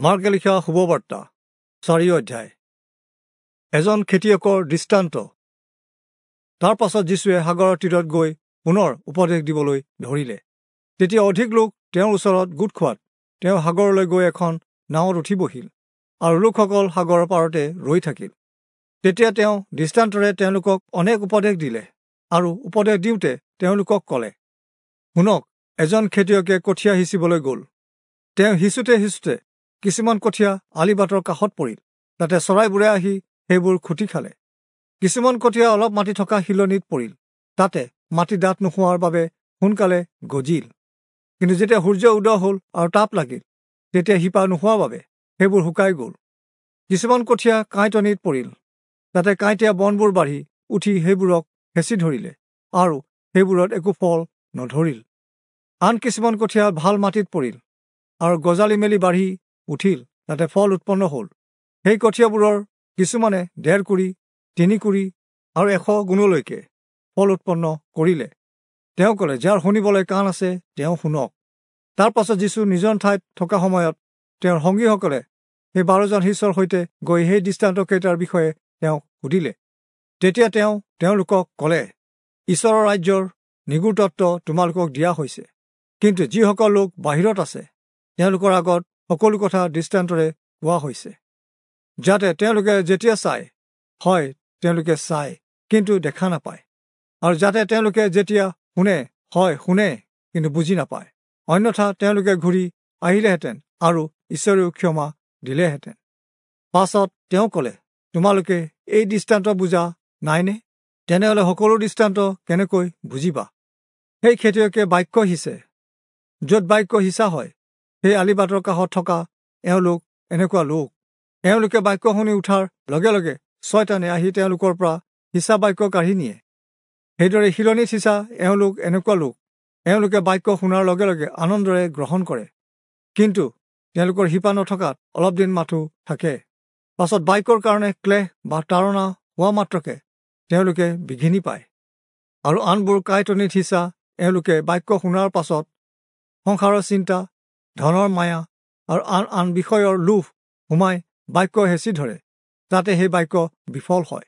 মাৰ্কে লিখা শুভবাৰ্তা 4 অধ্যায়। এজন খেতিয়কৰ দৃষ্টান্ত। তাৰ পাছত যীশুৱে সাগৰৰ তীৰত গৈ পুনৰ উপদেশ দিবলৈ ধৰিলে। তেতিয়া অধিক লোক তেওঁৰ ওচৰত গোট খোৱাত তেওঁ সাগৰলৈ গৈ এখন নাৱত উঠি বহিল আৰু লোকসকল সাগৰৰ পাৰতে ৰৈ থাকিল। তেতিয়া তেওঁ দৃষ্টান্তৰে তেওঁলোকক অনেক উপদেশ দিলে আৰু উপদেশ দিওঁতে তেওঁলোকক ক'লে, শুনক, এজন খেতিয়কে কঠীয়া সিঁচিবলৈ গ'ল। তেওঁ সিঁচোতে সিঁচোতে কিছুমান কঠীয়া আলিবাটৰ কাষত পৰিল, তাতে চৰাইবোৰে আহি সেইবোৰ খুটি খালে। কিছুমান কঠীয়া অলপ মাটি থকা শিলনিত পৰিল, তাতে মাটি ডাঠ নোহোৱাৰ বাবে সোনকালে গজিল। কিন্তু যেতিয়া সূৰ্য উদয় হ'ল আৰু তাপ লাগিল, তেতিয়া শিপা নোহোৱাৰ বাবে সেইবোৰ শুকাই গ'ল। কিছুমান কঠীয়া কাঁইটনিত পৰিল, তাতে কাঁইটীয়া বনবোৰ বাঢ়ি উঠি সেইবোৰক হেঁচি ধৰিলে আৰু সেইবোৰত একো ফল নধৰিল। আন কিছুমান কঠীয়া ভাল মাটিত পৰিল আৰু গজালি মেলি বাঢ়ি উঠিল, তাতে ফল উৎপন্ন হ'ল। সেই কঠীয়াবোৰৰ কিছুমানে 1.5 কুৰি, 3 কুৰি আৰু 100 গুণলৈকে ফল উৎপন্ন কৰিলে। তেওঁ ক'লে, যাৰ শুনিবলৈ কাণ আছে তেওঁ শুনক। তাৰ পাছত যীশু নিজৰ ঠাইত থকা সময়ত তেওঁৰ সংগীসকলে সেই 12জন শিষ্যৰ সৈতে গৈ সেই দৃষ্টান্তকেইটাৰ বিষয়ে তেওঁক সুধিলে। তেতিয়া তেওঁ তেওঁলোকক ক'লে, ঈশ্বৰৰ ৰাজ্যৰ নিগূঢ় তত্ত্ব তোমালোকক দিয়া হৈছে, কিন্তু যিসকল লোক বাহিৰত আছে তেওঁলোকৰ আগত সকলো কথা দৃষ্টান্তৰে কোৱা হৈছে, যাতে তেওঁলোকে যেতিয়া চায়, হয় তেওঁলোকে চায় কিন্তু দেখা নাপায়, আৰু যাতে তেওঁলোকে যেতিয়া শুনে, হয় শুনে কিন্তু বুজি নাপায়, অন্যথা তেওঁলোকে ঘূৰি আহিলেহেঁতেন আৰু ঈশ্বৰেও ক্ষমা দিলেহেঁতেন। পাছত তেওঁ ক'লে, তোমালোকে এই দৃষ্টান্ত বুজা নাইনে? তেনেহ'লে সকলো দৃষ্টান্ত কেনেকৈ বুজিবা? সেই খেতিয়কে বাক্য সিঁচে। য'ত বাক্য সিঁচা হয়, সেই আলিবাটৰ কাষত থকা এওঁলোক এনেকুৱা লোক। এওঁলোকে বাক্য শুনি উঠাৰ লগে লগে ছয়তানে আহি তেওঁলোকৰ পৰা সিঁচা বাক্য কাঢ়ি নিয়ে। সেইদৰে শিলনিত সিঁচা এওঁলোক এনেকুৱা লোক। এওঁলোকে বাক্য শুনাৰ লগে লগে আনন্দৰে গ্ৰহণ কৰে, কিন্তু তেওঁলোকৰ শিপা নথকাত অলপ দিন মাথো থাকে। পাছত বাক্যৰ কাৰণে ক্লেশ বা তাৰণা হোৱা মাত্ৰকে তেওঁলোকে বিঘিনি পায়। আৰু আনবোৰ কাঁইটনিত সিঁচা এওঁলোকে বাক্য শুনাৰ পাছত সংসাৰৰ চিন্তা, ধনৰ মায়া আৰু আন আন বিষয়ৰ লোভ সোমাই বাক্য হেঁচি ধৰে, তাতে সেই বাক্য বিফল হয়।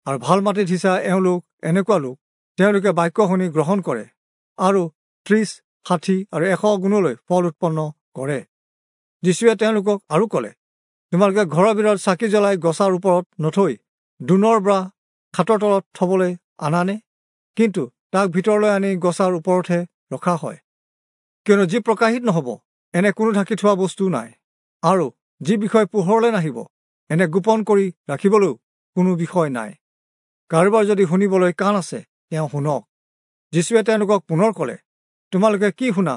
আৰু ভাল মাটিত সিঁচা এওঁলোক এনেকুৱা লোক। তেওঁলোকে বাক্য শুনি গ্ৰহণ কৰে আৰু 30, 60 আৰু 100 গুণলৈ ফল উৎপন্ন কৰে। যীশুৱে তেওঁলোকক আৰু ক'লে, তোমালোকে ঘৰৰ ভিতৰত চাকি জ্বলাই গছাৰ ওপৰত নথৈ দোণৰ বা খাটৰ তলত থবলৈ আনানে? কিন্তু তাক ভিতৰলৈ আনি গছাৰ ওপৰতহে ৰখা হয়। কিয়নো যি প্ৰকাশিত নহ'ব এনে কোনো ঢাকি থোৱা বস্তু নাই, আৰু যি বিষয় পোহৰলৈ নাহিব এনে গোপন কৰি ৰাখিবলৈও কোনো বিষয় নাই। কাৰোবাৰ যদি শুনিবলৈ কাণ আছে তেওঁ শুনক। যীশুৱে তেওঁলোকক পুনৰ ক'লে, তোমালোকে কি শুনা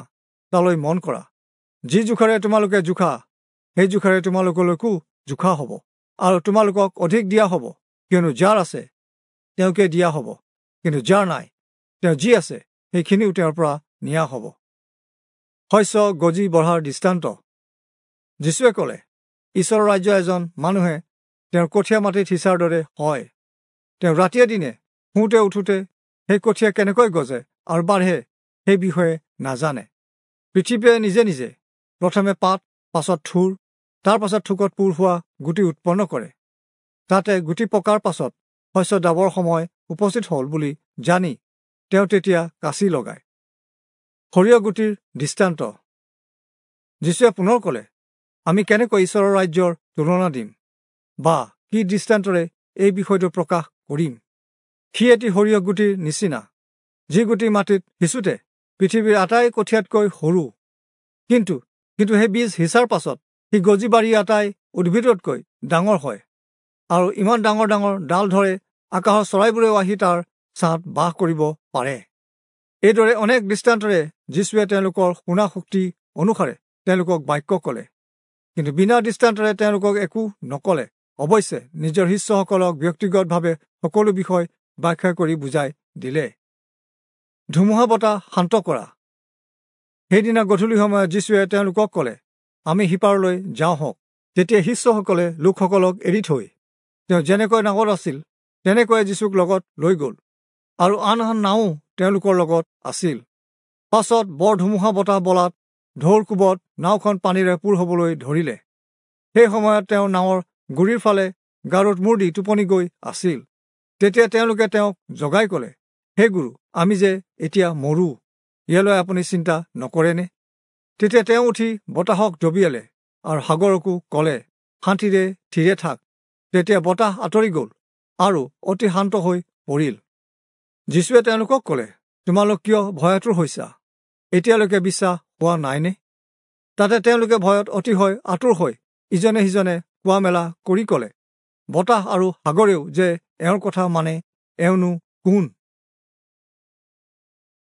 তালৈ মন কৰা। যি জোখাৰে তোমালোকে জোখা, সেই জোখাৰে তোমালোকলৈকো জোখা হ'ব, আৰু তোমালোকক অধিক দিয়া হ'ব। কিয়নো যাৰ আছে তেওঁকে দিয়া হ'ব, কিন্তু যাৰ নাই তেওঁ যি আছে সেইখিনিও তেওঁৰ পৰা নিয়া হ'ব। শস্য গজি বঢ়াৰ দৃষ্টান্ত। যীশুৱে ক'লে, ঈশ্বৰৰ ৰাজ্য এজন মানুহে তেওঁৰ কঠীয়া মাটিত সিঁচাৰ দৰে হয়। তেওঁ ৰাতিয়ে দিনে শুওঁতে উঠোঁতে সেই কঠীয়া কেনেকৈ গজে আৰু বাঢ়ে সেই বিষয়ে নাজানে। পৃথিৱীয়ে নিজে নিজে প্ৰথমে পাত, পাছত থোৰ, তাৰ পাছত থোকত পূৰ হোৱা গুটি উৎপন্ন কৰে। তাতে গুটি পকাৰ পাছত শস্য দাবৰ সময় উপস্থিত হ'ল বুলি জানি তেওঁ তেতিয়া কাঁচি লগায়। সৰিয়হ গুটিৰ দৃষ্টান্ত। যীশুৱে পুনৰ ক'লে, আমি কেনেকৈ ঈশ্বৰৰ ৰাজ্যৰ তুলনা দিম, বা কি দৃষ্টান্তৰে এই বিষয়টো প্ৰকাশ কৰিম? সি এটি সৰিয়হ গুটিৰ নিচিনা, যি গুটি মাটিত সিঁচোতে পৃথিৱীৰ আটাই কঠীয়াতকৈ সৰু, কিন্তু সেই বীজ সিঁচাৰ পাছত সি গজি বাঢ়ি আটাই উদ্ভিদতকৈ ডাঙৰ হয়, আৰু ইমান ডাঙৰ ডাঙৰ ডাল ধৰে আকাশৰ চৰাইবোৰেও আহি তাৰ ছাঁত বাস কৰিব পাৰে। এইদৰে অনেক দৃষ্টান্তৰে যীশুৱে তেওঁলোকৰ শুনা শক্তি অনুসাৰে তেওঁলোকক বাক্য ক'লে, কিন্তু বিনা দৃষ্টান্তৰে তেওঁলোকক একো নক'লে। অৱশ্যে নিজৰ শিষ্যসকলক ব্যক্তিগতভাৱে সকলো বিষয় ব্যাখ্যা কৰি বুজাই দিলে। ধুমুহা বতাহ শান্ত কৰা। সেইদিনা গধূলি সময়ত যীশুৱে তেওঁলোকক ক'লে, আমি সিপাৰলৈ যাওঁ হওক। তেতিয়া শিষ্যসকলে লোকসকলক এৰি থৈ তেওঁ যেনেকৈ নাৱত আছিল তেনেকৈয়ে যীশুক লগত লৈ গ'ল, আৰু আন আন নাও তেওঁলোকৰ লগত আছিল। পাছত বৰ ধুমুহা বতাহ বলাত ঢৌৰ কোবত নাওখন পানীৰে পূৰ হ'বলৈ ধৰিলে। সেই সময়ত তেওঁ নাৱৰ গুৰিৰ ফালে গাৰুত মূৰ দি টোপনি গৈ আছিল। তেতিয়া তেওঁলোকে তেওঁক জগাই ক'লে, হে গুৰু, আমি যে এতিয়া মৰো, ইয়ালৈ আপুনি চিন্তা নকৰেনে? তেতিয়া তেওঁ উঠি বতাহক ডবিয়ালে আৰু সাগৰকো ক'লে, শান্তিৰে থিৰে থাক। তেতিয়া বতাহ আঁতৰি গ'ল আৰু অতি শান্ত হৈ পৰিল। যীশুৱে তেওঁলোকক ক'লে, তোমালোক কিয় ভয়াতুৰ হৈছা? এতিয়ালৈকে বিশ্বাস হোৱা নাইনে? তাতে তেওঁলোকে ভয়ত অতিশয় আঁতুৰ হৈ ইজনে সিজনে কোৱা মেলা কৰি ক'লে, বতাহ আৰু সাগৰেও যে এওঁৰ কথা মানে, এওঁনো কোন?